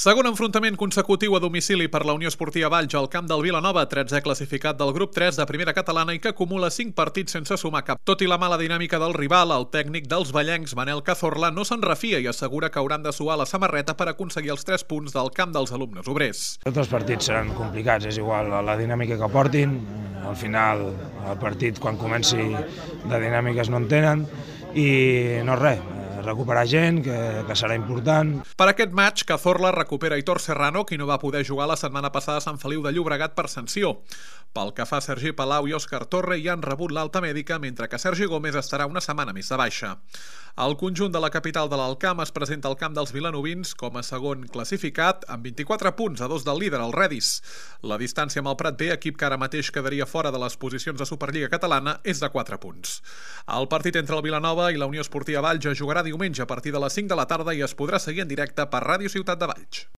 Segon enfrontament consecutiu a domicili per la Unió Esportiva Valls al camp del Vilanova, 13è classificat del grup 3 de primera catalana i que acumula 5 partits sense sumar cap. Tot i la mala dinàmica del rival, el tècnic dels vallencs, Manel Cazorla, no se'n refia i assegura que hauran de suar la samarreta per aconseguir els 3 punts del camp dels alumnes obrers. Tots els partits seran complicats, és igual la dinàmica que portin, al final el partit quan comenci de dinàmiques no en tenen i no res, recuperar gent, que serà important. Per aquest match, Cazorla recupera Aitor Serrano, qui no va poder jugar la setmana passada a Sant Feliu de Llobregat per sanció. Pel que fa a Sergi Palau i Òscar Torre hi han rebut l'alta mèdica, mentre que Sergi Gómez estarà una setmana més de baixa. El conjunt de la capital de l'Alcamp es presenta al camp dels vilanovins com a segon classificat, amb 24 punts a 2 del líder, el Redis. La distància amb el Prat B, equip que ara mateix quedaria fora de les posicions de Superliga Catalana, és de 4 punts. El partit entre el Vilanova i la Unió Esportiva Valls es jugarà diumenge a partir de les 5 de la tarda i es podrà seguir en directe per Ràdio Ciutat de Valls.